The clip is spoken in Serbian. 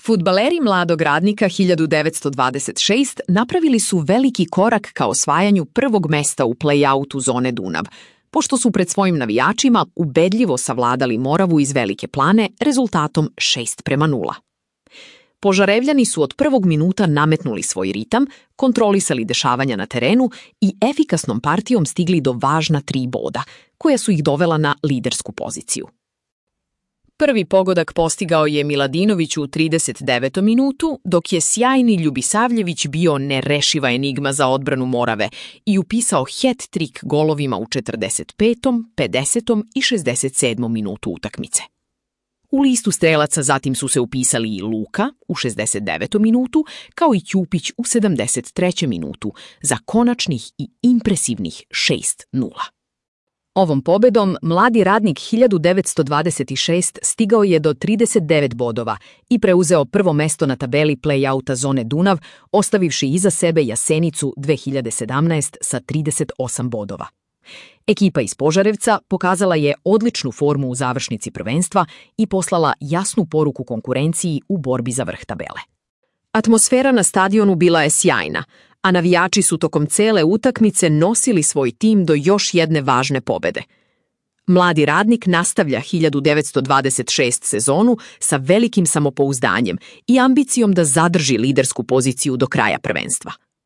Fudbaleri Mladog Radnika 1926 napravili su veliki korak ka osvajanju prvog mesta u play-outu zone Dunav, pošto su pred svojim navijačima ubedljivo savladali Moravu iz Velike Plane rezultatom 6:0. Požarevljani su od prvog minuta nametnuli svoj ritam, kontrolisali dešavanja na terenu i efikasnom partijom stigli do važna 3 boda, koja su ih dovela na lidersku poziciju. Prvi pogodak postigao je Miladinović u 39. minutu, dok je sjajni Ljubisavljević bio nerešiva enigma za odbranu Morave i upisao hat-trik golovima u 45., 50. i 67. minutu utakmice. U listu strelaca zatim su se upisali i Luka u 69. minutu, kao i Ćupić u 73. minutu za konačnih i impresivnih 6:0. Ovom pobedom mladi Radnik 1926 stigao je do 39 bodova i preuzeo prvo mesto na tabeli play-outa zone Dunav, ostavivši iza sebe Jasenicu 2017 sa 38 bodova. Ekipa iz Požarevca pokazala je odličnu formu u završnici prvenstva i poslala jasnu poruku konkurenciji u borbi za vrh tabele. Atmosfera na stadionu bila je sjajna, a navijači su tokom cele utakmice nosili svoj tim do još jedne važne pobede. Mladi Radnik nastavlja 1926 sezonu sa velikim samopouzdanjem i ambicijom da zadrži lidersku poziciju do kraja prvenstva.